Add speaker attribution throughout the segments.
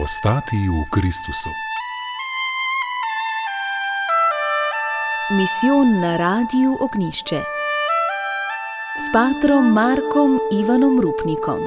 Speaker 1: Ostati v Kristusu.
Speaker 2: Misijon na Radiu Ognjišče s patrom Markom Ivanom Rupnikom.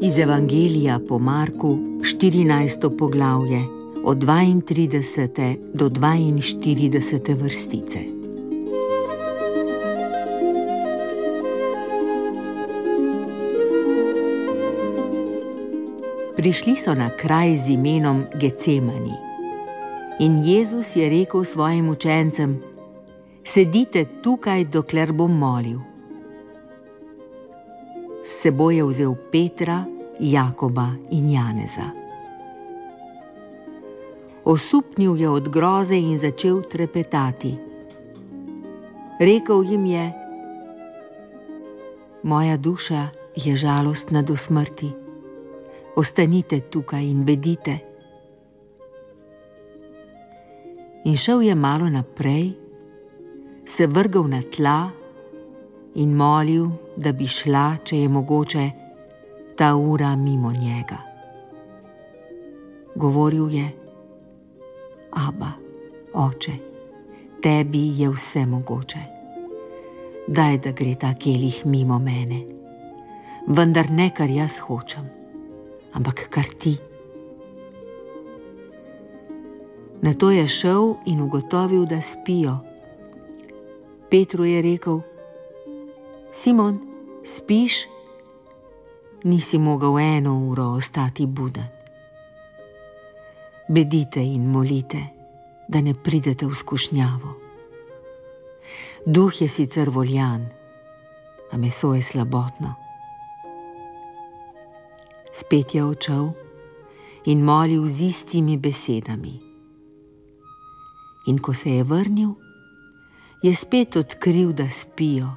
Speaker 3: Iz Evangelija po Marku, 14. poglavje, od 32. do 42. vrstice. Prišli so na kraj z imenom Gecemani. In Jezus je rekel svojim učencem: sedite tukaj, dokler bom molil. S seboj je vzel Petra, Jakoba in Janeza. Osupnil je od groze in začel trepetati. Rekel jim je: moja duša je žalostna do smrti. Ostanite tukaj in bedite. In šel je malo naprej, se vrgel na tla in molil, da bi šla, če je mogoče, ta ura mimo njega. Govoril je: Aba, oče, tebi je vse mogoče. Daj, da gre ta kelih mimo mene, vendar ne, kar jaz hočem, ampak kar ti. Nato je šel in ugotovil, da spijo. Petru je rekel: Simon, spiš? Nisi mogel 1 uro ostati buden. Bedite in molite, da ne pridete v skušnjavo. Duh je sicer voljan, a meso je slabotno. Spet je odšel in molil z istimi besedami. In ko se je vrnil, je spet odkril, da spijo.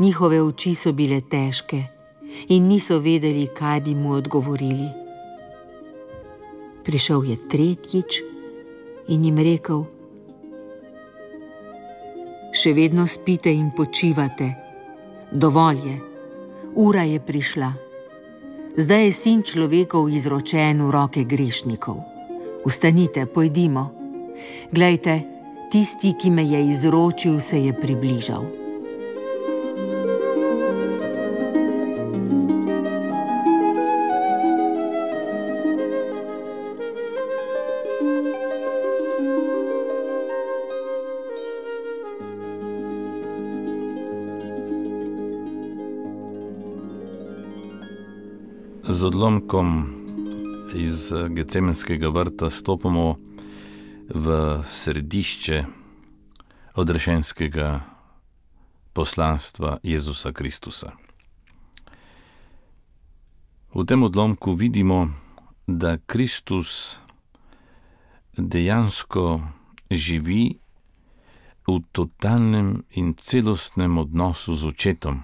Speaker 3: Njihove oči so bile težke in niso vedeli, kaj bi mu odgovorili. Prišel je tretjič in jim rekel: še vedno spite in počivate. Dovolj je, ura je prišla. Zdaj je sin človekov izročen v roke grešnikov. Vstanite, pojdimo. Glejte, tisti, ki me je izročil, se je približal.
Speaker 4: Z odlomkom iz Gecemenskega vrta stopamo v središče odrešenskega poslanstva Jezusa Kristusa. V tem odlomku vidimo, da Kristus dejansko živi v totalnem in celostnem odnosu z Očetom.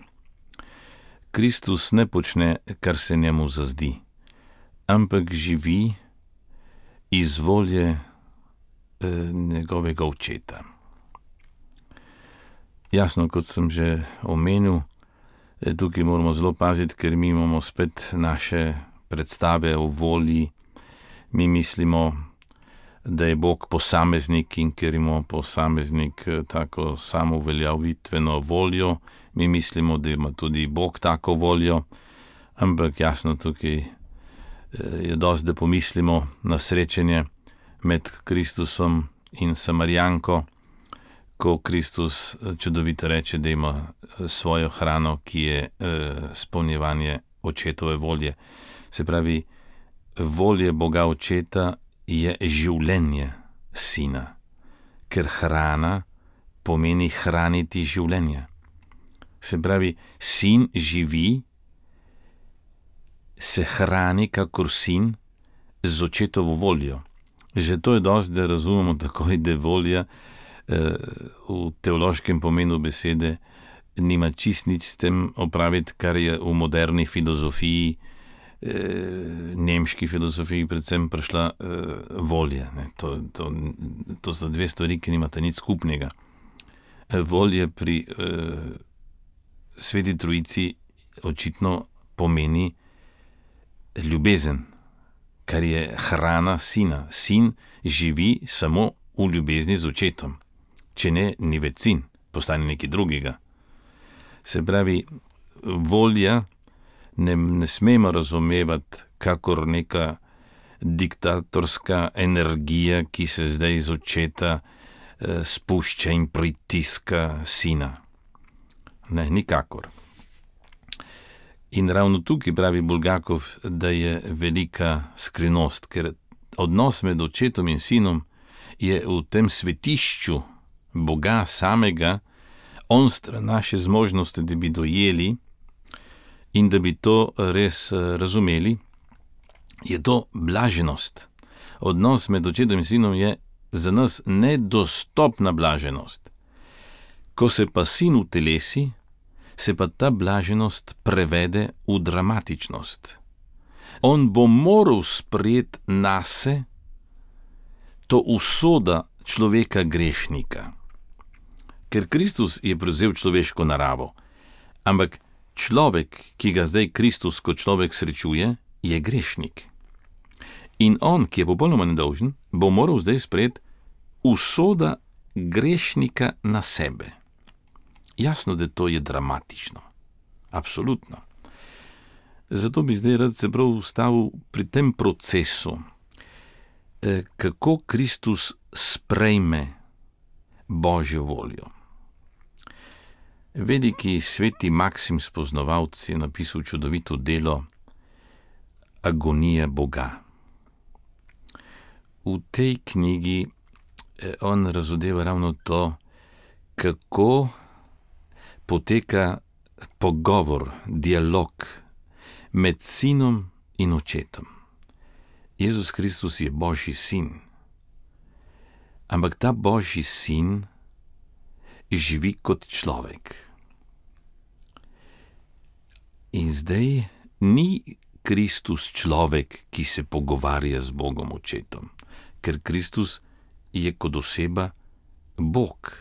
Speaker 4: Kristus ne počne, kar se njemu zazdi, ampak živi iz volje njegovega Očeta. Jasno, kot sem že omenil, tukaj moramo zelo paziti, ker mi imamo spet naše predstave o volji. Mi mislimo, da je Bog posameznik, in ker ima posameznik tako samouveljavitveno voljo, mi mislimo, da ima tudi Bog tako voljo, ampak jasno, tukaj je dosti, da pomislimo na srečanje med Kristusom in Samarijanko, ko Kristus čudovito reče, da ima svojo hrano, ki je izpolnjevanje Očetove volje. Se pravi, volje Boga Očeta je življenje sina, ker hrana pomeni hraniti življenje. Se pravi, sin živi, se hrani kakor sin z Očetovo voljo. Že to je dosti, da razumemo takoj, da volja v teološkem pomenu besede nima čist nič s tem opraviti, kar je v moderni filozofiji nemški filozofiji predvsem prišla volja. To so dve stvari, ki nimata nič skupnega. Volja pri Sveti Trojici očitno pomeni ljubezen, kar je hrana sina. Sin živi samo v ljubezni z očetom. Če ne, ni več sin, postane nekaj drugega. Se pravi, volja ne smemo razumevati kakor neka diktatorska energija, ki se zdaj iz očeta spušča in pritiska sina. Ne, nikakor. In ravno tukaj pravi Bulgakov, da je velika skrivnost, ker odnos med očetom in sinom je v tem svetišču Boga samega onstran naše zmožnosti, da bi dojeli in da bi to res razumeli, je to blaženost. Odnos med očetom in sinom je za nas nedostopna blaženost. Ko se pa sin utelesi, se pa ta blaženost prevede v dramatičnost. On bo moral sprejeti nase to usoda človeka grešnika. Ker Kristus je prevzel človeško naravo, ampak človek, ki ga zdaj Kristus kot človek srečuje, je grešnik. In on, ki je popolnoma nedolžen, bo moral zdaj sprejeti usoda grešnika na sebe. Jasno, da to je dramatično. Absolutno. Zato bi zdaj rad se prav ustavil pri tem procesu, kako Kristus sprejme Božjo voljo. Veliki sveti Maksim Spoznavalec je napisal čudovito delo Agonija Boga. V tej knjigi on razodeva ravno to, kako poteka pogovor, dialog med sinom in očetom. Jezus Kristus je Božji sin, ampak ta Božji sin živi kot človek. In zdaj ni Kristus človek, ki se pogovarja z Bogom očetom, ker Kristus je kot oseba Bog.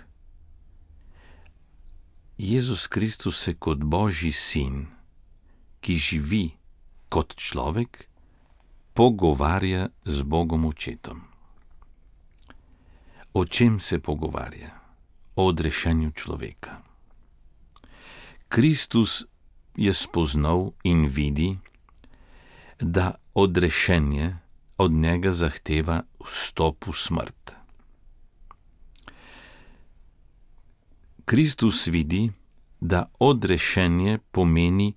Speaker 4: Jezus Kristus se kot Božji sin, ki živi kot človek, pogovarja z Bogom očetom. O čem se pogovarja? O odrešenju človeka. Kristus je spoznal in vidi, da odrešenje od njega zahteva vstop v smrt. Kristus vidi, da odrešenje pomeni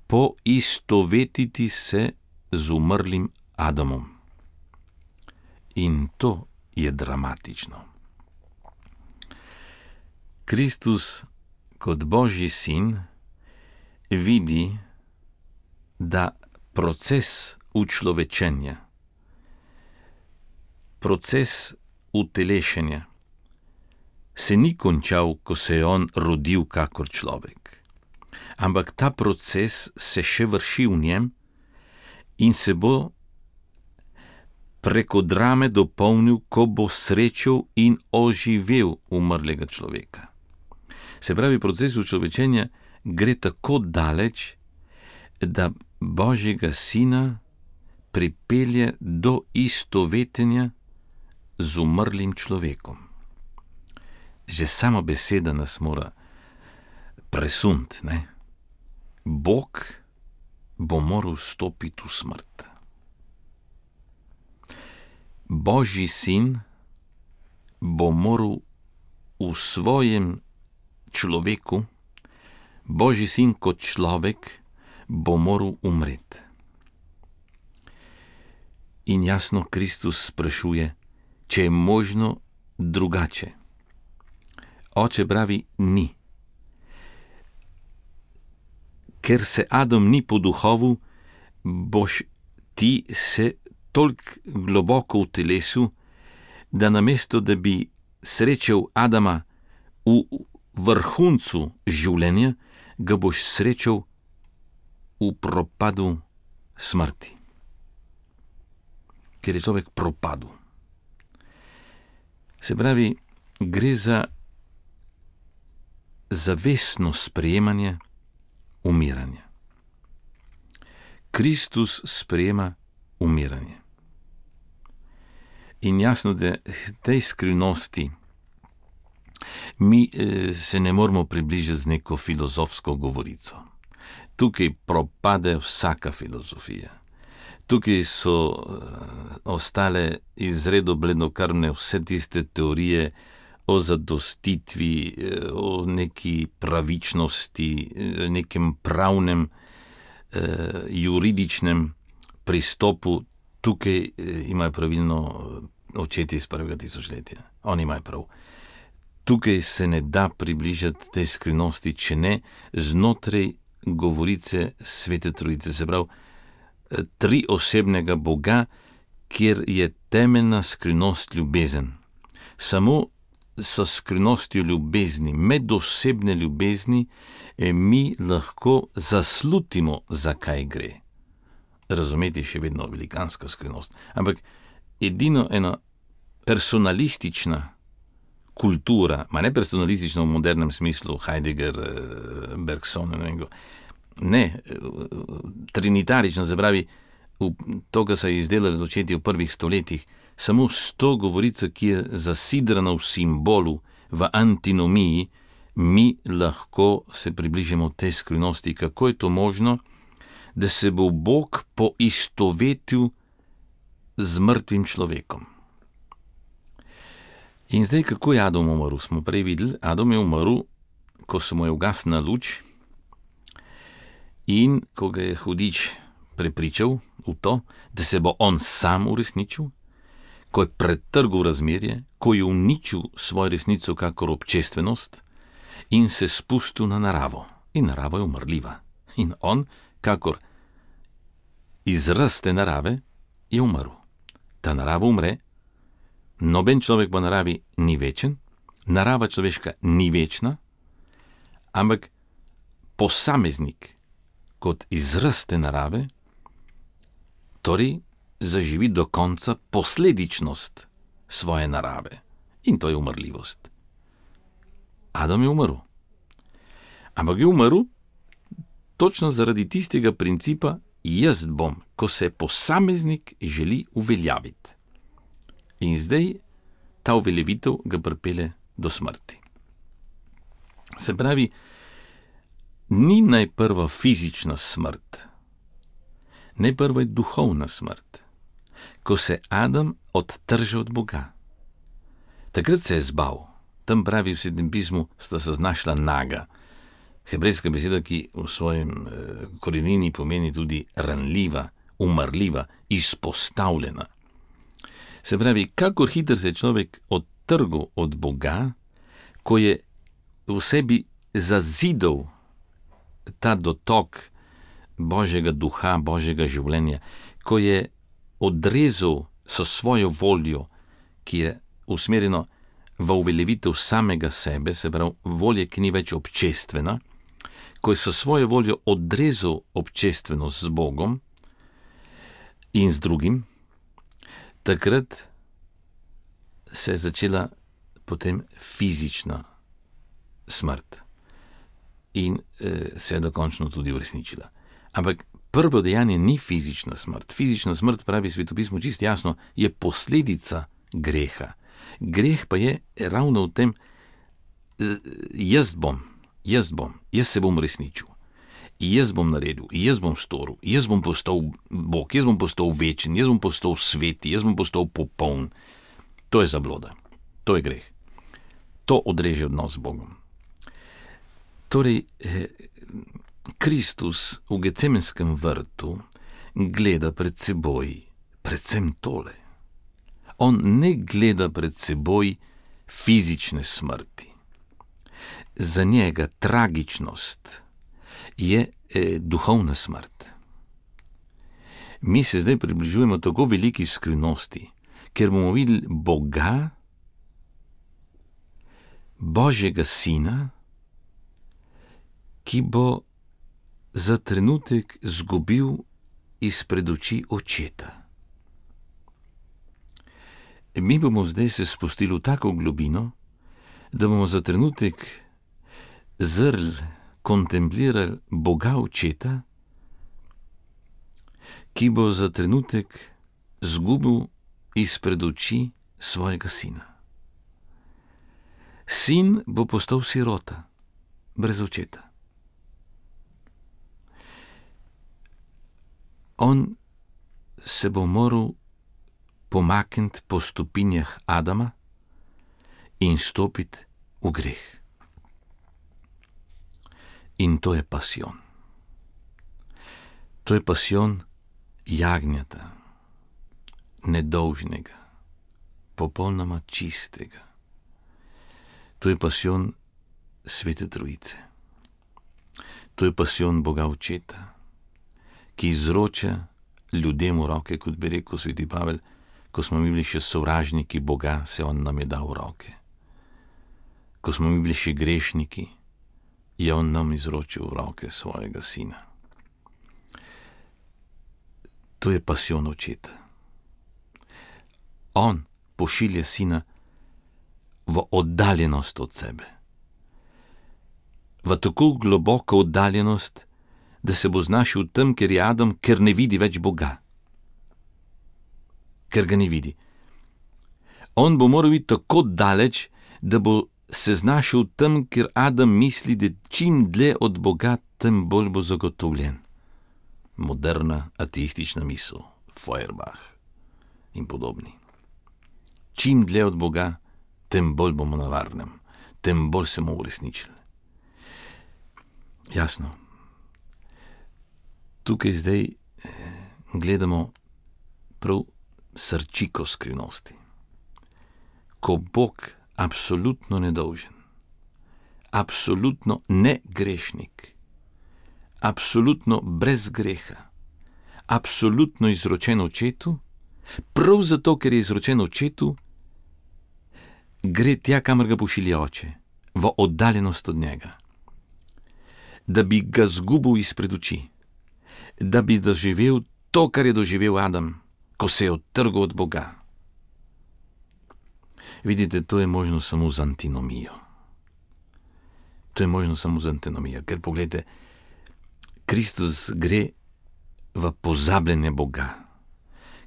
Speaker 4: poistovetiti se z umrlim Adamom. In to je dramatično. Kristus kot Božji sin vidi, da proces učlovečenja, proces utelešenja se ni končal, ko se je on rodil kakor človek, ampak ta proces se še vrši v njem in se bo preko drame dopolnil, ko bo srečal in oživel umrlega človeka. Se pravi, proces učlovečenja gre tako daleč, da Božjega sina pripelje do istovetenja z umrlim človekom. Že sama beseda nas mora presunti, ne? Bog bo moral stopiti v smrt. Božji sin bo moral v svojem človeku, Božji sin kot človek, bo moral umreti. In jasno Kristus sprašuje, če je možno drugače. Oče pravi, ni. Ker se Adam ni poduhovil, boš ti se toliko globoko v telesu, da namesto, da bi srečal Adama v vrhuncu življenja, ga boš srečal v propadu smrti, ker je človek propadel. Se pravi, gre za zavestno sprejemanje umiranja. Kristus sprejema umiranje. In jasno, da tej skrivnosti mi se ne moramo približati z neko filozofsko govorico. Tukaj propade vsaka filozofija. Tukaj so ostale izredo blednokrvne vse tiste teorije o zadostitvi, o neki pravičnosti, nekem pravnem, juridičnem pristopu. Tukaj imajo pravilno očetje iz prvega tisočletja. Oni imajo prav. Tukaj se ne da približati tej skrivnosti, če ne znotraj govorice Svete Trojice, se pravi triosebnega Boga, kjer je temeljna skrivnost ljubezen. Samo s skrivnostjo ljubezni, medosebne ljubezni, mi lahko zaslutimo, zakaj gre. Razumeti je še vedno velikanska skrivnost, ampak edino ena personalistična kultura, ne personalistična v modernem smislu, Heidegger, Bergson, ne, trinitarična, se pravi, to, kar se je izdelalo očetje v prvih stoletjih, samo s to govorico, ki je zasidrana v simbolu, v antinomiji, mi lahko se približamo tej skrivnosti, kako je to možno, da se bo Bog poistovetil z mrtvim človekom. In zdaj, kako je Adam umrl, smo prej videli. Adam je umrl, ko se mu je ugasnila luč in ko ga je hudič prepričal v to, da se bo on sam uresničil, ko je pretrgal razmerje, ko je uničil svojo resnico kakor občestvenost in se spustil na naravo. In narava je umrljiva. In on, kakor izraz te narave, je umrl. Ta narava umre, noben človek po naravi ni večen, narava človeška ni večna, ampak posameznik kot izraz te narave, torej zaživi do konca posledičnost svoje narave. In to je umrljivost. Adam je umrl. Ampak je umrl točno zaradi tistega principa jaz bom, ko se posameznik želi uveljaviti. In zdaj ta uveljavitev ga pripelje do smrti. Se pravi, ni najprva fizična smrt, najprva je duhovna smrt, ko se Adam odtrže od Boga. Takrat se je zbal. Tam pravi v Svetem pismu, sta se znašla naga. Hebrejska beseda, ki v svojem korenini pomeni tudi ranljiva, umrljiva, izpostavljena. Se pravi, kakor hitro se je človek odtrgal od Boga, ko je v sebi zazidal ta dotok Božjega duha, Božjega življenja, ko je odrezal so svojo voljo, ki je usmerjeno v uveljavitev samega sebe, se pravi volje, ki ni več občestvena, ko je so svojo voljo odrezal občestvenost z Bogom in z drugim, takrat se je začela potem fizična smrt in se je dokončno tudi uresničila. Ampak prvo dejanje ni fizična smrt. Fizična smrt, pravi Svetopismo čisto jasno, je posledica greha. Greh pa je ravno v tem, jaz se bom resničil, jaz bom naredil, jaz bom storil, jaz bom postal Bog, jaz bom postal večen, jaz bom postal sveti, jaz bom postal popoln. To je zabloda, to je greh. To odreže odnos z Bogom. Torej, Kristus v Gecemenskem vrtu gleda pred seboj predvsem tole. On ne gleda pred seboj fizične smrti. Za njega tragičnost je duhovna smrt. Mi se zdaj približujemo tako veliki skrivnosti, ker bomo videli Boga, Božjega Sina, ki bo za trenutek izgubil izpred oči očeta. Mi bomo zdaj se spustili v tako globino, da bomo za trenutek zrli, kontemplirali Boga očeta, ki bo za trenutek zgubil izpred oči svojega sina. Sin bo postal sirota, brez očeta. On se bo moral pomakniti po stopinjah Adama in stopiti v greh. In to je pasijon. To je pasijon jagnjeta, nedolžnega, popolnoma čistega. To je pasijon Svete Trojice. To je pasijon Boga Očeta, ki izroča ljudem v roke, kot bi rekel sveti Pavel, ko smo mi bili še sovražniki Boga, se on nam je dal v roke. Ko smo mi bili še grešniki, je on nam izročil v roke svojega sina. To je pasijon Očeta. On pošilja sina v oddaljenost od sebe. V tako globoko oddaljenost, da se bo znašel tam, kjer je Adam, ker ne vidi več Boga. Ker ga ne vidi. On bo moral biti tako daleč, da bo se znašel tam, kjer Adam misli, da čim dlje od Boga, tem bolj bo zagotovljen. Moderna ateistična misel, Feuerbach in podobni. Čim dlje od Boga, tem bolj bomo na varnem, tem bolj se bomo uresničili. Jasno. Tukaj zdaj gledamo prav srčiko skrivnosti. Ko Bog absolutno nedolžen, absolutno ne grešnik, absolutno brez greha, absolutno izročen očetu, prav zato, ker je izročen očetu, gre tja, kamor ga pošilja oče, v oddaljenost od njega, da bi ga zgubil izpred oči, da bi doživel to, kar je doživel Adam, ko se je odtrgal od Boga. Vidite, to je možno samo z antinomijo. To je možno samo z antinomijo, ker pogledajte, Kristus gre v pozabljenje Boga.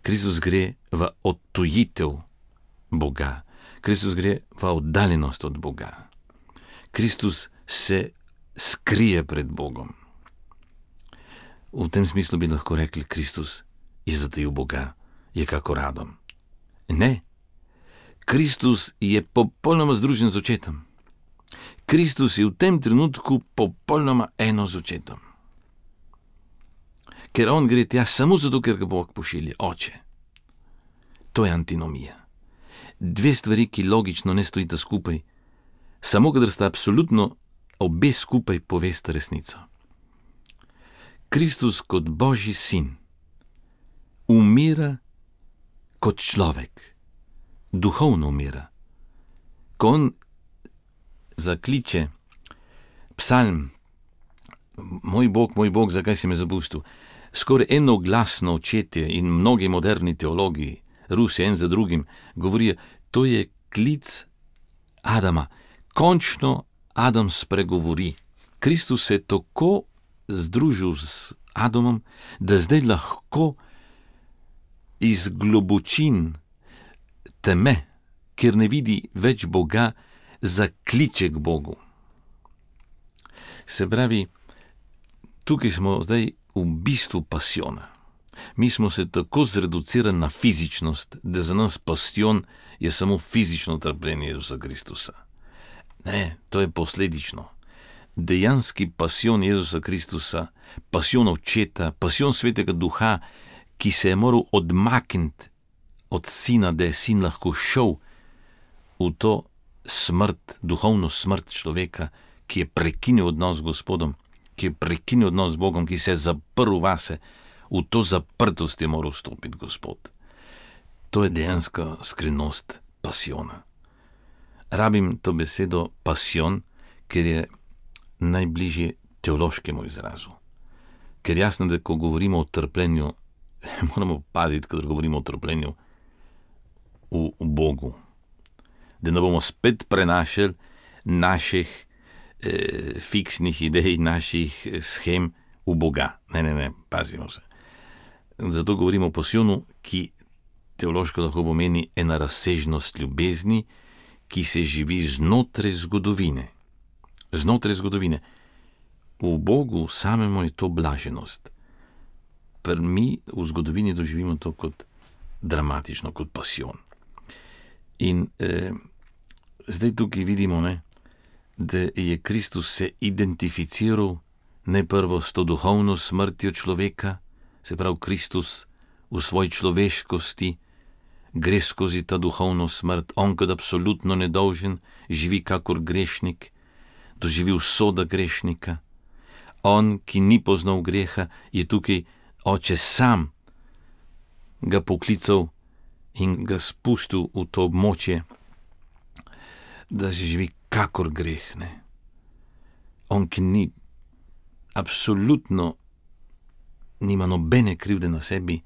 Speaker 4: Kristus gre v odtujitev Boga. Kristus gre v oddaljenost od Boga. Kristus se skrije pred Bogom. V tem smislu bi lahko rekli, Kristus je zatajil Boga, je kakor Adam. Ne. Kristus je popolnoma združen z očetom. Kristus je v tem trenutku popolnoma eno z očetom. Ker on gre tja samo zato, ker ga Bog pošilja, oče. To je antinomija. Dve stvari, ki logično ne stojita skupaj, samo kadar sta absolutno obe skupaj, povesta resnico. Kristus kot Božji sin umira kot človek, duhovno umira. Ko on zakliče psalm, moj Bog, zakaj si me zapustil, skoraj enoglasno očetje in mnogi moderni teologi, Rusi en za drugim, govorijo, to je klic Adama. Končno Adam spregovori. Kristus se je tako združil z Adamom, da zdaj lahko iz globočin teme, kjer ne vidi več Boga, zakliče k Bogu. Se pravi, tukaj smo zdaj v bistvu pasijona. Mi smo se tako zreducirali na fizičnost, da za nas pasijon je samo fizično trpljenje Jezusa Kristusa. Ne, to je posledično. Dejanski pasijon Jezusa Kristusa, pasijon Očeta, pasijon Svetega Duha, ki se je moral odmakniti od sina, da je sin lahko šel v to smrt, duhovno smrt človeka, ki je prekinil odnos z Gospodom, ki je prekinil odnos z Bogom, ki se je zaprl vase, v to zaprtost je moral stopiti Gospod. To je dejanska skrivnost pasijona. Rabim to besedo pasijon, ker je najbližje teološkemu izrazu. Ker jasno, da ko govorimo o trpljenju moramo paziti, kadar govorimo o trpljenju v Bogu. Da ne bomo spet prenašali naših fiksnih idej, naših schem v Boga. Ne, pazimo se. Zato govorimo o pasijonu, ki teološko lahko pomeni ena razsežnost ljubezni, ki se živi znotraj zgodovine. Znotraj zgodovine. V Bogu samemu je to blaženost. Mi v zgodovini doživimo to kot dramatično, kot pasijon. In zdaj tukaj vidimo, da je Kristus se identificiral najprvo s to duhovno smrtjo človeka, se pravi Kristus v svoji človeškosti gre skozi ta duhovno smrt, on kot absolutno nedolžen živi kakor grešnik, doživi usoda grešnika. On, ki ni poznal greha, je tukaj Oče sam ga poklical in ga spustil v to območje, da se živi kakor greh. On, ki ni absolutno nima nobene krivde na sebi,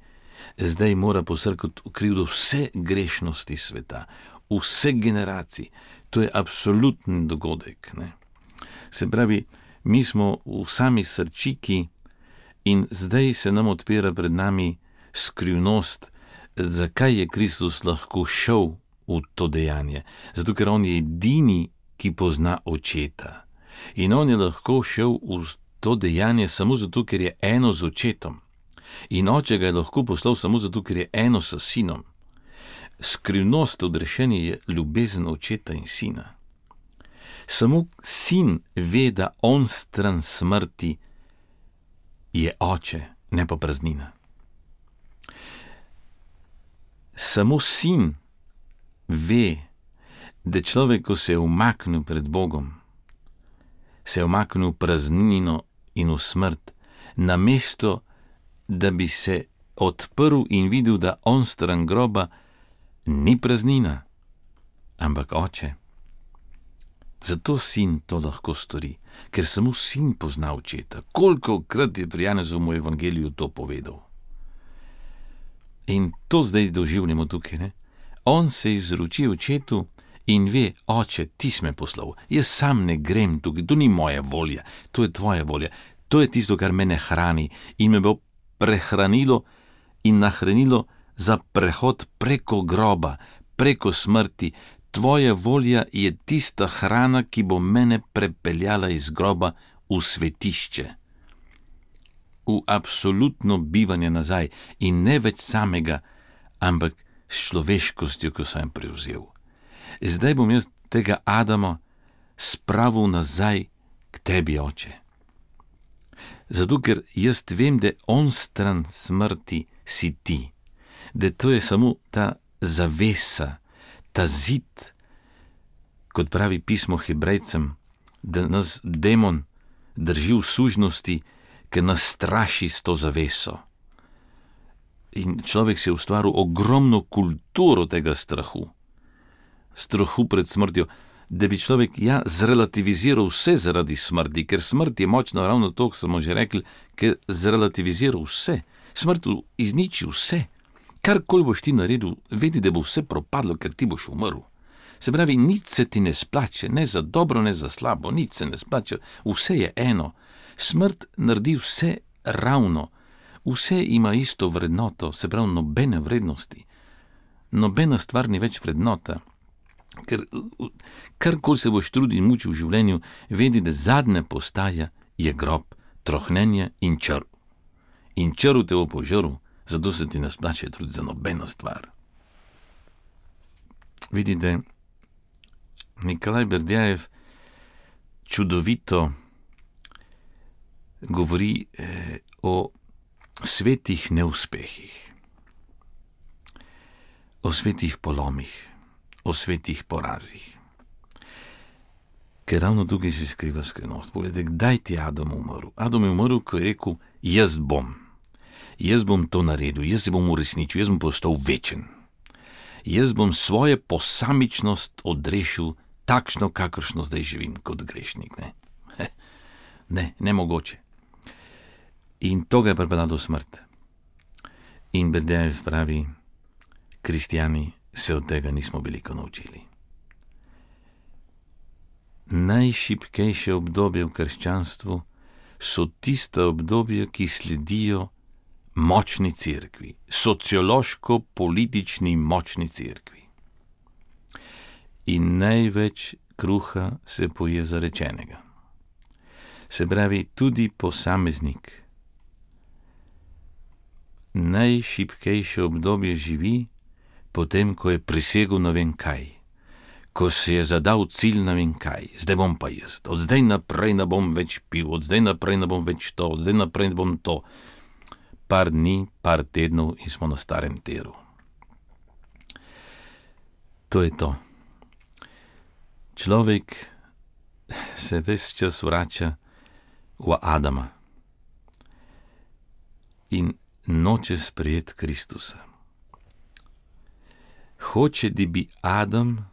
Speaker 4: zdaj mora posrkati v krivdo vse grešnosti sveta, vse generacij. To je absolutni dogodek. Se pravi, mi smo v sami srčiki in zdaj se nam odpira pred nami skrivnost, zakaj je Kristus lahko šel v to dejanje. Zato, ker on je edini, ki pozna Očeta. In on je lahko šel v to dejanje samo zato, ker je eno z Očetom. In Oče ga je lahko poslal samo zato, ker je eno s Sinom. Skrivnost odrešenja je ljubezen Očeta in Sina. Samo Sin ve, da on stran smrti je Oče, ne pa praznina. Samo Sin ve, da človek, ko se je umaknil pred Bogom, se je umaknil v praznino in v smrt, namesto da bi se odprl in videl, da on stran groba ni praznina, ampak Oče. Zato Sin to lahko stori, ker samo Sin pozna Očeta. Kolikokrat je pri Janezovem evangeliju to povedal. In to zdaj doživljamo tukaj. On se izroči Očetu in ve, Oče, ti si me poslal. Jaz sam ne grem tukaj, to ni moja volja, to je tvoja volja. To je tisto, kar mene hrani in me bo prehranilo in nahranilo za prehod preko groba, preko smrti. Tvoja volja je tista hrana, ki bo mene prepeljala iz groba v svetišče, v absolutno bivanje nazaj in ne več samega, ampak s človeškostjo, ko sem prevzel. Zdaj bom jaz tega Adama spravil nazaj k tebi, Oče. Zato, ker jaz vem, da on stran smrti si ti, da to je samo ta zavesa, ta zid, kot pravi pismo Hebrejcem, da nas demon drži v sužnosti, ker nas straši s to zaveso. In človek si je ustvaril ogromno kulturo tega strahu pred smrtjo, da bi človek zrelativiziral vse zaradi smrti, ker smrt je močna ravno to, ko smo že rekli, ker zrelativiziral vse. Smrt izniči vse. Karkoli boš ti naredil, vedi, da bo vse propadlo, ker ti boš umrl. Se pravi, nič se ti ne splače, ne za dobro, ne za slabo, nič se ne splače, vse je eno. Smrt naredi vse ravno, vse ima isto vrednoto, se pravi, nobene vrednosti. Nobena stvar ni več vrednota, ker karkoli se boš trudil in mučil v življenju, vedi, da zadnja postaja je grob, trohnenje in črv. In črv te bo požrl, zato se ti ne splače truditi za nobeno stvar. Vidite, Nikolaj Berdjajev čudovito govori o svetih neuspehih, o svetih polomih, o svetih porazih. Ker ravno tukaj se skriva skrivnost. Poglejte, kdaj ti je Adam umrl? Adam je umrl, ko je rekel, jaz bom to naredil, jaz se bom uresničil, jaz bom postal večen. Jaz bom svojo posamičnost odrešil takšno, kakršno zdaj živim kot grešnik. Nemogoče. In to ga je pripeljalo do smrti. In Berdejev pravi, kristjani se od tega nismo veliko naučili. Najšibkejše obdobje v krščanstvu so tista obdobja, ki sledijo močni cerkvi, sociološko-politični močni cerkvi. In največ kruha se poje zarečenega. Se pravi, tudi posameznik najšibkejše obdobje živi potem, ko je prisegel ne vem kaj, ko se je zadal cilj ne vem kaj, zdaj bom pa jaz, od zdaj naprej ne bom več pil, od zdaj naprej ne bom več to, od zdaj naprej ne bom to. Par dni, par tednov in smo na starem tiru. To je to. Človek se ves čas vrača v Adama in noče sprejeti Kristusa. Hoče, da bi Adam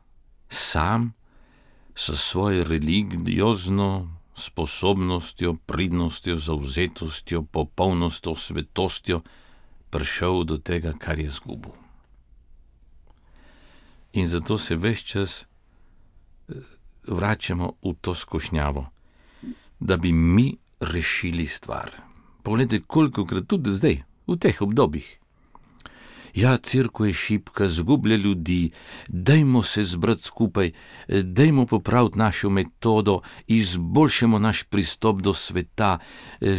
Speaker 4: sam s svojo religiozno sposobnostjo, pridnostjo, zavzetostjo, popolnostjo, svetostjo prišel do tega, kar je izgubil. In zato se ves čas vračamo v to skušnjavo, da bi mi rešili stvar. Poglejte, kolikokrat tudi zdaj, v teh obdobjih. Ja, cerkev je šibka, zgublja ljudi, dajmo se zbrati skupaj, dajmo popraviti našo metodo, izboljšamo naš pristop do sveta,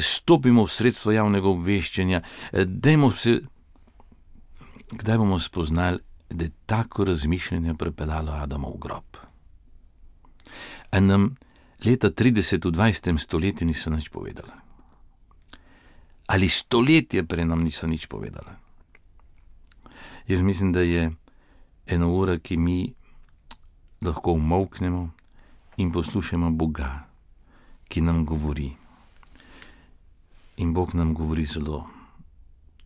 Speaker 4: stopimo v sredstvo javnega obveščanja, dajmo se... Kdaj bomo spoznali, da je tako razmišljanje pripeljalo Adama v grob? A nam leta 30 v 20. stoletju niso nič povedala? Ali stoletje prej nam niso nič povedala? Jaz mislim, da je ena ura, ki mi lahko umolknemo in poslušamo Boga, ki nam govori. In Bog nam govori zelo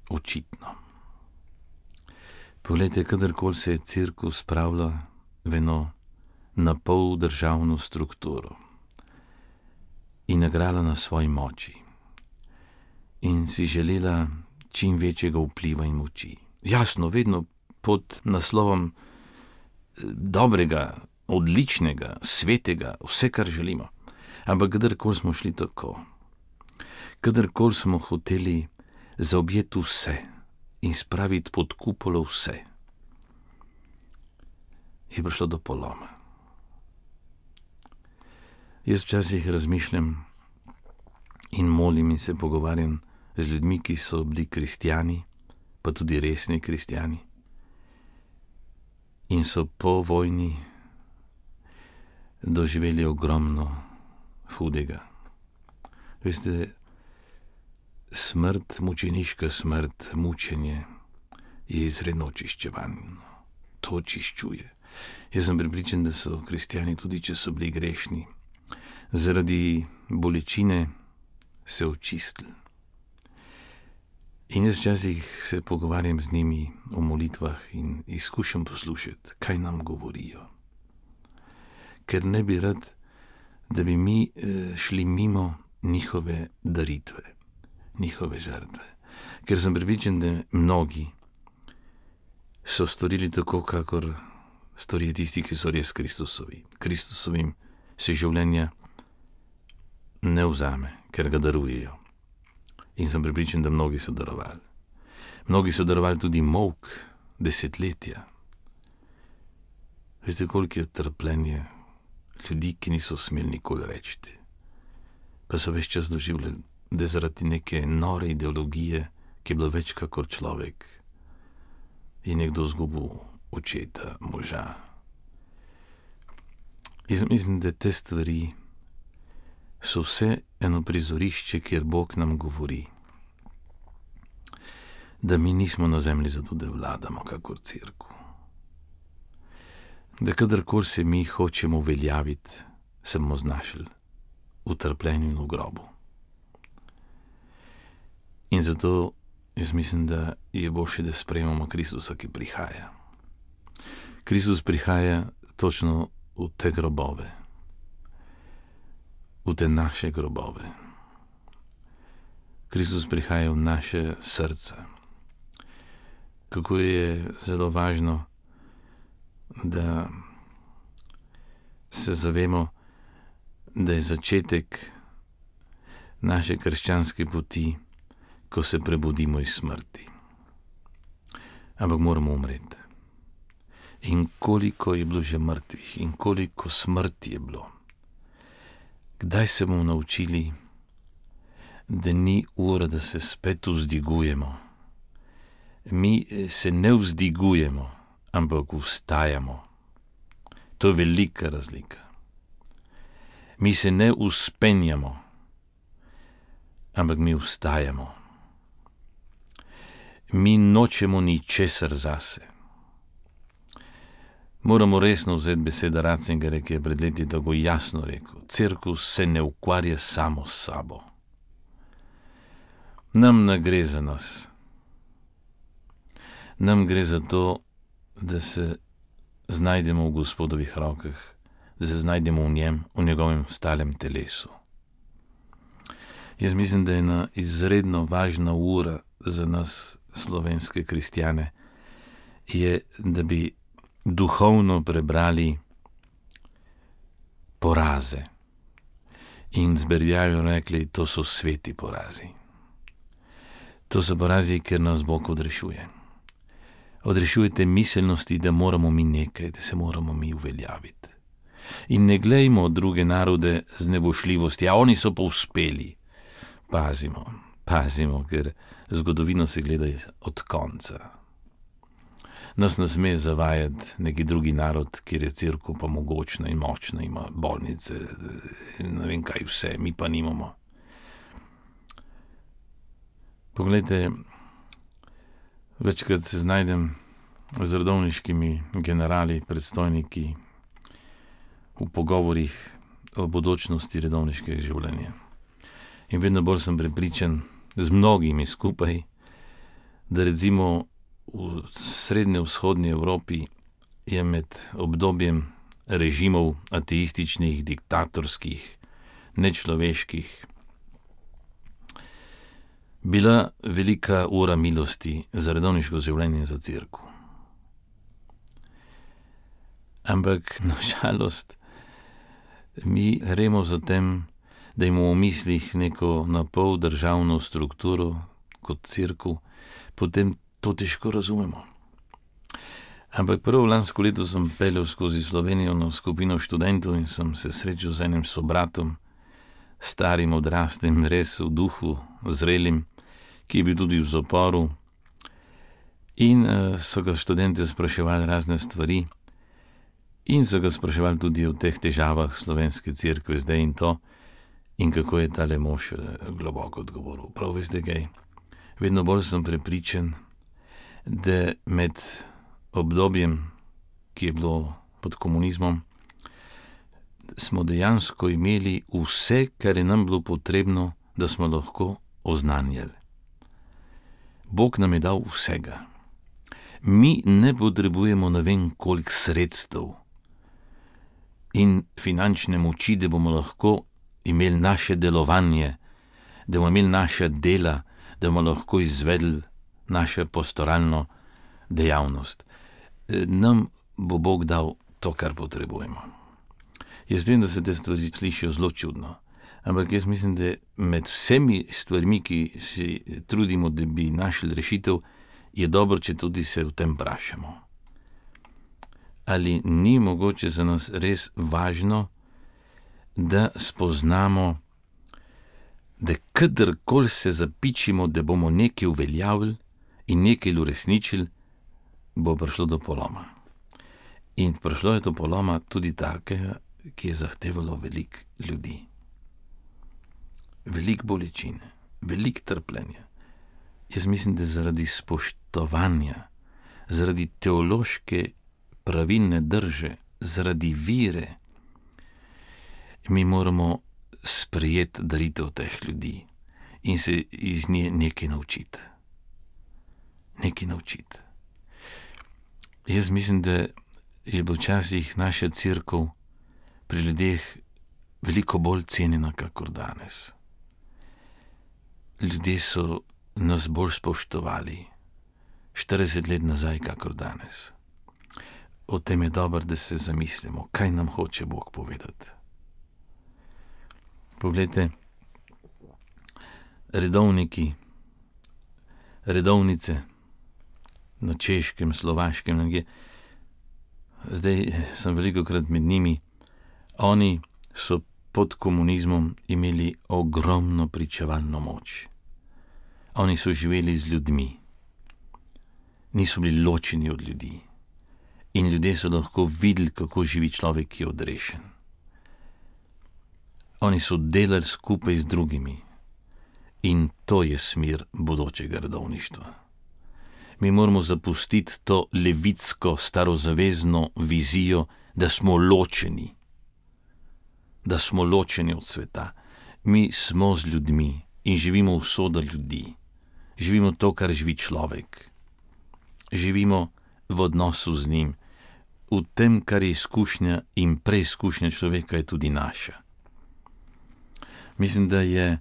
Speaker 4: očitno. Poglejte, kadarkoli se je cerkev spravila v eno napol državno strukturo in igrala na svoji moči in si želela čim večjega vpliva in moči. Jasno, vedno pod naslovom dobrega, odličnega, svetega, vse, kar želimo. Ampak kadarkoli smo šli tako, kadarkoli smo hoteli zaobjeti vse in spraviti pod kupolo vse, je prišlo do poloma. Jaz včasih razmišljam in molim in se pogovarjam z ljudmi, ki so bili kristjani, pa tudi resni kristjani, in so po vojni doživeli ogromno hudega. Veste, smrt, mučeniška smrt, mučenje je izredno očiščevalno. To očiščuje. Jaz sem prepričan, da so kristjani, tudi če so bili grešni, zaradi bolečine se očistili. In jaz včasih se pogovarjam z njimi o molitvah in izkušam poslušati, kaj nam govorijo. Ker ne bi rad, da bi mi šli mimo njihove daritve, njihove žrtve. Ker sem prepričan, da mnogi so storili tako, kakor storijo tisti, ki so res Kristusovi. Kristusovim se življenja ne vzame, ker ga darujejo. In sem prepričan, da mnogi so darovali. Mnogi so darovali tudi molk, desetletja. Veste, koliko je trpljenje ljudi, ki niso smeli nikoli reči. Pa so ves čas doživljali, da zaradi neke nore ideologije, ki je bila več kakor človek, je nekdo izgubil očeta, moža. Jaz mislim, da te stvari so vse eno prizorišče, kjer Bog nam govori, da mi nismo na zemlji zato, da vladamo kakor cerkev. Da kadarkoli se mi hočemo uveljaviti, se bomo znašli v trpljenju in v grobu. In zato jaz mislim, da je boljše, da sprejmemo Kristusa, ki prihaja. Kristus prihaja točno v te grobove, v te naše grobove. Kristus prihaja v naše srca. kako je zelo važno, da se zavemo, da je začetek naše krščanske poti, ko se prebudimo iz smrti. Ampak moramo umreti. In koliko je bilo že mrtvih in koliko smrti je bilo. Kdaj se bomo naučili, da ni ura, da se spet vzdigujemo. Mi se ne vzdigujemo, ampak vstajamo. To je velika razlika. Mi se ne vzpenjamo, ampak mi vstajamo. Mi nočemo ničesar zase. Moramo resno vzeti besede Ratzingerja, ki je pred leti tako jasno rekel: Cerkev se ne ukvarja samo s sabo. Nam ne gre za nas. Nam gre za to, da se znajdemo v Gospodovih rokah, da se znajdemo v njem, v njegovem stalem telesu. Jaz mislim, da je ena izredno važna ura za nas, slovenske kristjane, je, da bi duhovno prebrali poraze. In z Berdjajevim rekli, to so sveti porazi. To so porazi, ker nas Bog odrešuje. Odrešujete miselnosti, da moramo mi nekaj, da se moramo mi uveljaviti. In ne glejmo druge narode z nevošljivosti, a oni so pa uspeli. Pazimo, ker zgodovino se gleda od konca. Nas ne sme zavajati neki drugi narod, kjer je cerkev pa mogočna in močna, ima bolnice, ne vem kaj vse, mi pa nimamo. Poglejte, večkrat se znajdem z redovniškimi generali, predstojniki v pogovorih o bodočnosti redovniškega življenja. In vedno bolj sem prepričan, z mnogimi skupaj, da recimo v srednje-vzhodni Evropi je med obdobjem režimov ateističnih, diktatorskih, nečloveških bila velika ura milosti za redovniško življenje, za cerkev. Ampak na žalost mi gremo za tem, da imamo v mislih neko napol državno strukturo kot cerkev, potem to težko razumemo. Ampak prav lansko leto sem peljal skozi Slovenijo na skupino študentov in sem se srečal z enim sobratom, starim, odraslim, res v duhu zrelim, ki je bil tudi v zaporu. In so ga študente spraševali razne stvari in so ga spraševali tudi o teh težavah slovenske cerkve zdaj in to, in kako je tale mož globoko odgovoril. Prav veste kaj, vedno bolj sem prepričan, da med obdobjem, ki je bilo pod komunizmom, smo dejansko imeli vse, kar je nam bilo potrebno, da smo lahko oznanjali. Bog nam je dal vsega. Mi ne potrebujemo ne vem koliko sredstev in finančne moči, da bomo lahko imeli naše delovanje, da bomo imeli naša dela, da bomo lahko izvedli našo pastoralno dejavnost. Nam bo Bog dal to, kar potrebujemo. Jaz vem, da se te stvari slišijo zelo čudno, ampak jaz mislim, da med vsemi stvarmi, ki si trudimo, da bi našli rešitev, je dobro, če tudi se v tem vprašamo. Ali ni mogoče za nas res važno, da spoznamo, da kadarkoli se zapičimo, da bomo nekaj uveljavili in nekaj uresničili, bo prišlo do poloma. In prišlo je do poloma tudi takega, ki je zahtevalo veliko ljudi. Veliko bolečine, veliko trpljenja. Jaz mislim, da zaradi spoštovanja, zaradi teološke pravilne drže, zaradi vire, mi moramo sprejeti daritev teh ljudi in se iz nje nekaj naučiti. Nekaj naučiti. Jaz mislim, da je bila včasih naša cerkev pri ljudeh veliko bolj cenjena, kakor danes. Ljudje so nas bolj spoštovali, 40 let nazaj, kakor danes. O tem je dobro, da se zamislimo, kaj nam hoče Bog povedati. Poglejte, redovniki, redovnice na Češkem, Slovaškem, nekje. Zdaj sem velikokrat med njimi. Oni so pod komunizmom imeli ogromno pričevalno moč. Oni so živeli z ljudmi. Niso bili ločeni od ljudi. In ljudje so lahko videli, kako živi človek, ki je odrešen. Oni so delali skupaj z drugimi. In to je smer bodočega redovništva. Mi moramo zapustiti to levitsko, starozavezno vizijo, da smo ločeni. Da smo ločeni od sveta. Mi smo z ljudmi in živimo usodo ljudi. Živimo to, kar živi človek. Živimo v odnosu z njim. V tem, kar je izkušnja in preizkušnja človeka, je tudi naša. Mislim, da je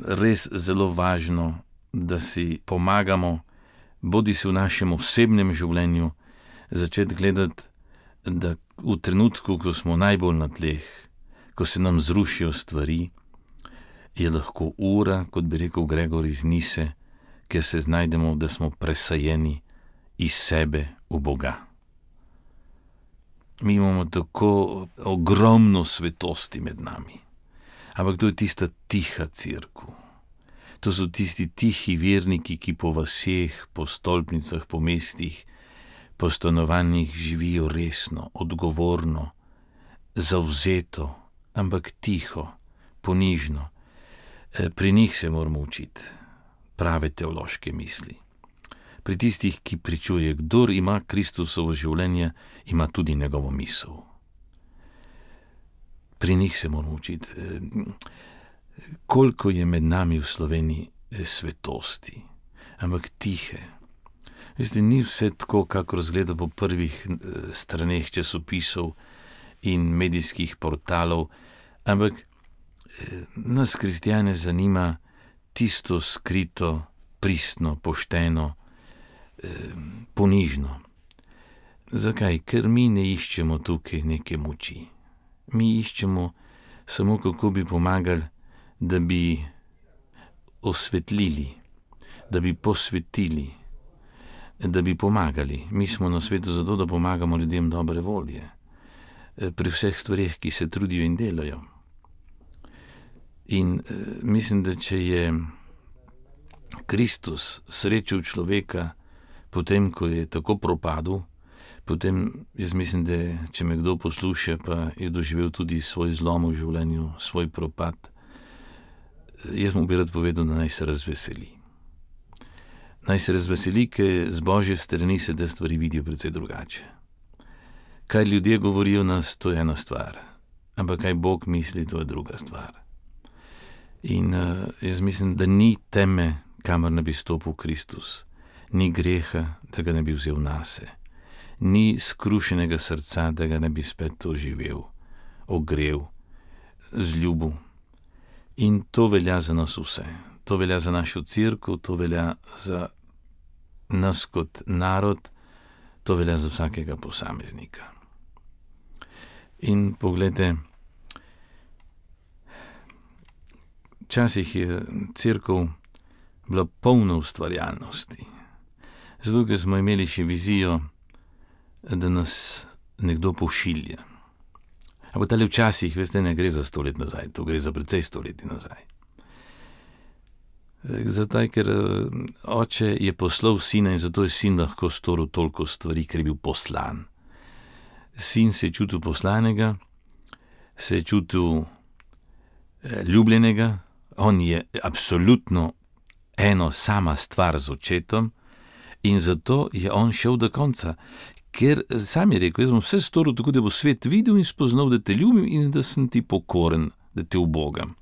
Speaker 4: res zelo važno, da si pomagamo, bodi si v našem osebnem življenju, začeti gledati, da v trenutku, ko smo najbolj na tleh, ko se nam zrušijo stvari, je lahko ura, kot bi rekel Gregor iz Nise, ker se znajdemo, da smo presajeni iz sebe v Boga. Mi imamo tako ogromno svetosti med nami, ampak to je tista tiha cerkev. To so tisti tihi verniki, ki po vaseh, po stolpnicah, po mestih, po stanovanjih živijo resno, odgovorno, zavzeto, ampak tiho, ponižno. Pri njih se moramo učiti prave teološke misli. Pri tistih, ki pričuje, kdor ima Kristusovo življenje, ima tudi njegovo misel. Pri njih se moramo učiti. Koliko je med nami v Sloveniji svetosti, ampak tihe. Veste, ni vse tako, kako razgleda po prvih straneh časopisov in medijskih portalov, ampak nas kristjane zanima tisto skrito, pristno, pošteno, ponižno. Zakaj? Ker mi ne iščemo tukaj neke moči. Mi iščemo samo, kako bi pomagali, da bi osvetlili, da bi posvetili, da bi pomagali. Mi smo na svetu zato, da pomagamo ljudem dobre volje, pri vseh stvareh, ki se trudijo in delajo. In mislim, da če je Kristus srečal človeka potem, ko je tako propadel, potem jaz mislim, da če me kdo posluša, pa je doživel tudi svoj zlom v življenju, svoj propad, jaz mu bi rad povedal, da naj se razveseli. Naj se razveseli, ker z Božje strani se te stvari vidijo precej drugače. Kaj ljudje govorijo nas, to je ena stvar, ampak kaj Bog misli, to je druga stvar. In jaz mislim, da ni teme, kamor ne bi stopil Kristus, ni greha, da ga ne bi vzel nase, ni skrušenega srca, da ga ne bi spet oživel, ogrel, zljubil. In to velja za nas vse. To velja za našo cerkev, to velja za nas kot narod, to velja za vsakega posameznika. In pogledajte, včasih je cerkev bila polna ustvarjalnosti. Zato, ker smo imeli še vizijo, da nas nekdo pošilja. Ampak tale včasih, veste, ne gre za 100 let nazaj, to gre za precej 100 let nazaj. Zato, ker oče je poslal sina in zato je sin lahko storil toliko stvari, ker je bil poslan. Sin se je čutil poslanega, se je čutil ljubljenega, on je absolutno eno sama stvar z očetom in zato je on šel do konca. Ker sam je rekel, jaz bom vse storil tako, da bo svet videl in spoznal, da te ljubim in da sem ti pokoren, da te ubogam.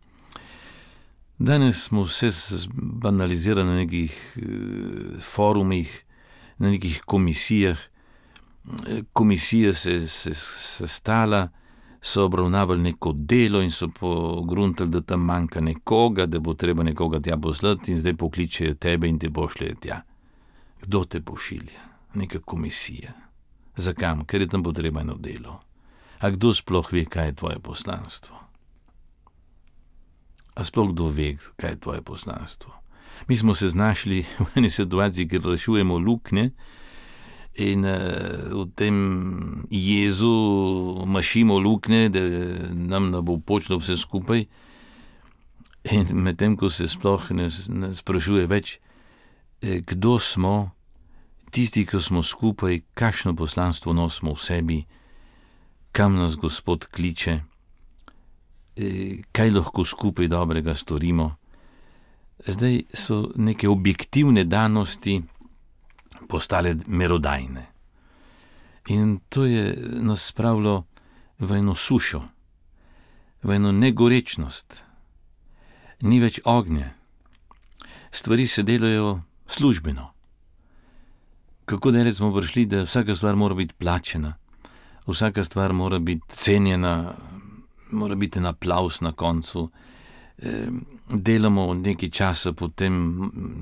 Speaker 4: Danes smo vse banalizirali na nekih forumih, na nekih komisijah. Komisija se sestala, so obravnavali neko delo in so pogruntali, da tam manjka nekoga, da bo treba nekoga tja poslati in zdaj pokličejo tebe in te pošljejo tja. Kdo te pošilja? Neka komisija. Zakam? Ker je tam potrebno delo. A kdo sploh ve, kaj je tvoje poslanstvo? A sploh kdo ve, kaj je tvoje poslanstvo? Mi smo se znašli v eni situaciji, kjer rešujemo luknje in v tem jezu mašimo luknje, da nam ne bo počlo vse skupaj. In medtem, ko se sploh ne sprašuje več, kdo smo, tisti, ki smo skupaj, kakšno poslanstvo nosimo v sebi, kam nas Gospod kliče, kaj lahko skupaj dobrega storimo. Zdaj so neke objektivne danosti postale merodajne. In to je nas spravilo v eno sušo, v eno negorečnost. Ni več ognja. Stvari se delajo službeno. Kako daleč smo prišli, da vsaka stvar mora biti plačena, vsaka stvar mora biti cenjena, mora biti en aplavz na koncu. Delamo nekaj časa, potem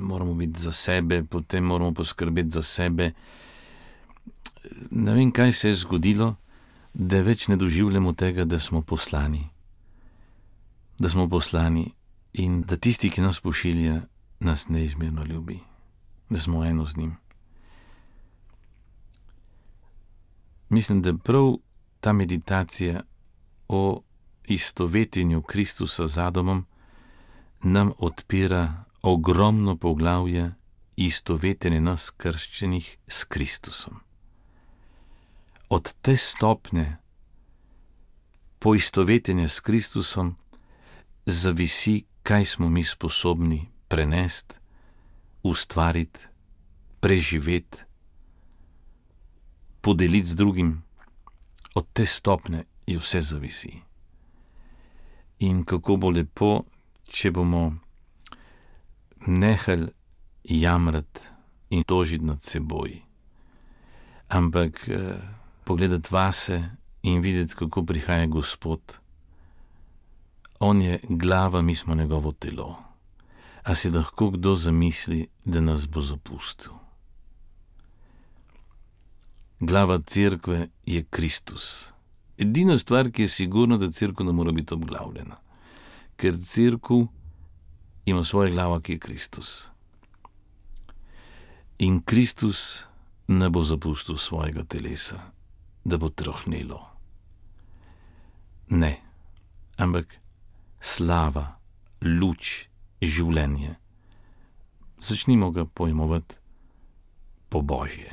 Speaker 4: moramo biti za sebe, potem moramo poskrbeti za sebe. Ne vem, kaj se je zgodilo, da več ne doživljamo tega, da smo poslani. Da smo poslani in da tisti, ki nas pošilja, nas neizmerno ljubi, da smo eno z njim. Mislim, da prav ta meditacija o istovetenju Kristusa z Adamom nam odpira ogromno poglavje istovetenja nas krščenih s Kristusom. Od te stopnje poistovetenja s Kristusom zavisi, kaj smo mi sposobni prenesti, ustvariti, preživeti, podeliti z drugim. Od te stopnje je vse zavisi. In kako bo lepo, če bomo nehali jamrati in tožiti nad seboj, ampak pogledati vase in videti, kako prihaja Gospod. On je glava, mi smo njegovo telo. A si lahko kdo zamisli, da nas bo zapustil? Glava cerkve je Kristus. Edina stvar, ki je sigurna, da cerkev ne mora biti obglavljena. Ker cerkev ima svojo glavo, ki je Kristus. In Kristus ne bo zapustil svojega telesa, da bo trohnelo. Ne, ampak slava, luč, življenje. Začnimo ga pojmovati po Božje,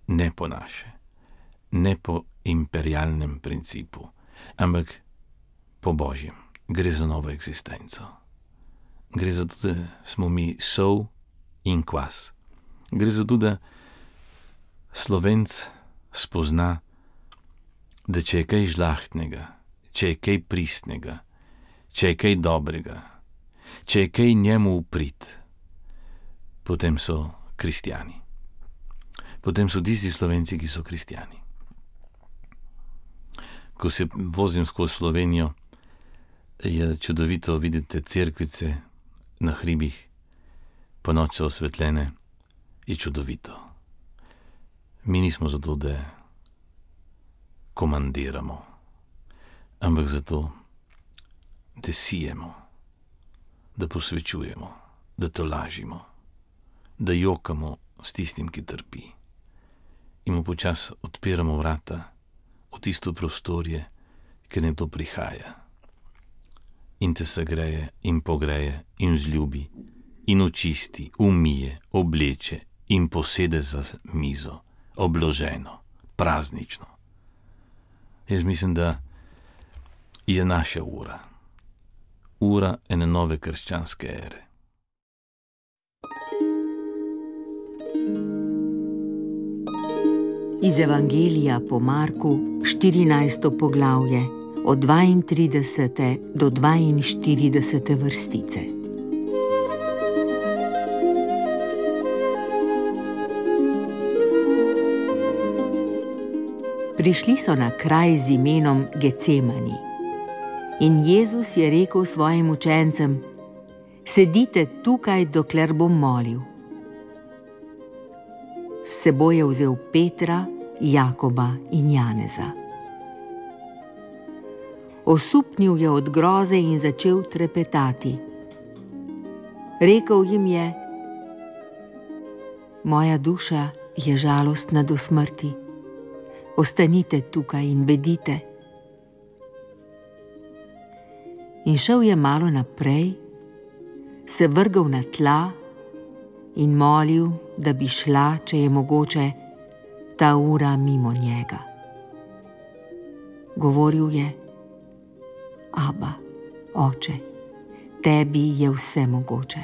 Speaker 4: ne po naše, ne po imperialnem principu, ampak po Božjem. Gre za novo eksistenco. Gre za to, da smo mi sol in kvas. Gre za to, da Slovenc spozna, da če je kaj žlahtnega, če je kaj pristnega, če je kaj dobrega, če je kaj njemu uprit, potem so kristjani. Potem so tisti Slovenci, ki so kristjani. Ko se vozim skozi Slovenijo, je čudovito videti cerkvice na hribih, po noč so osvetljene, je čudovito. Mi nismo zato, da komandiramo, ampak zato, da sijemo, da posvečujemo, da tolažimo, da jokamo s tistim, ki trpi. In mu počas odpiramo vrata v tisto prostorje, ker ne to prihaja. In te segreje in pogreje in vzljubi in očisti, umije, obleče in posede za mizo, obloženo, praznično. Jaz mislim, da je naša ura ene nove krščanske ere.
Speaker 3: Iz Evangelija po Marku, 14. poglavje, od 32. do 42. vrstice. Prišli so na kraj z imenom Gecemani. In Jezus je rekel svojim učencem: sedite tukaj, dokler bom molil. S seboj je vzel Petra, Jakoba in Janeza. Osupnil je od groze in začel trepetati. Rekel jim je: Moja duša je žalostna do smrti. Ostanite tukaj in bedite. In šel je malo naprej, se vrgel na tla in molil, da bi šla, če je mogoče, ta ura mimo njega. Govoril je: Aba, oče, tebi je vse mogoče.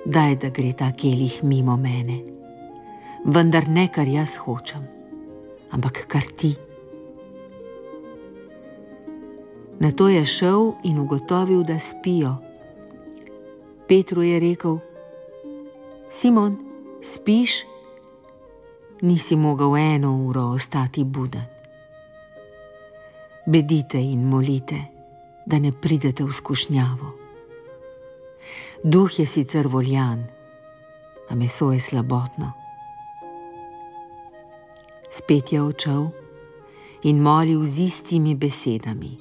Speaker 3: Daj, da gre ta kelih mimo mene, vendar ne, kar jaz hočem, ampak kar ti. Nato je šel in ugotovil, da spijo. Petru je rekel: Simon, spiš? Nisi mogel 1 uro ostati buden. Bedite in molite, da ne pridete v skušnjavo. Duh je sicer voljan, a meso je slabotno. Spet je odšel in molil z istimi besedami.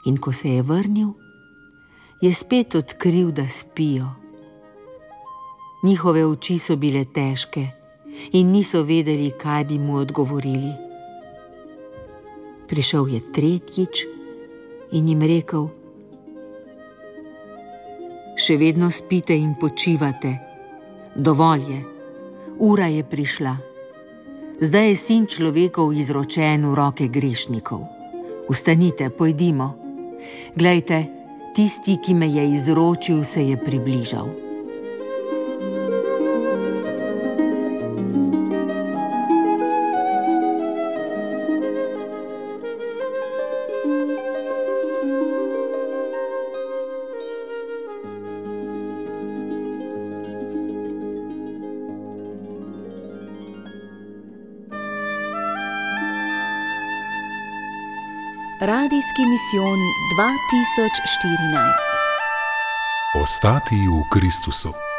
Speaker 3: In ko se je vrnil, je spet odkril, da spijo. Njihove oči so bile težke in niso vedeli, kaj bi mu odgovorili. Prišel je tretjič in jim rekel: Še vedno spite in počivate. Dovolj je, ura je prišla. Zdaj je Sin človekov izročen v roke grešnikov. Vstanite, pojdimo. Glejte, tisti, ki me je izročil, se je približal.
Speaker 2: Radijski misijon 2014.
Speaker 1: Ostati v Kristusu.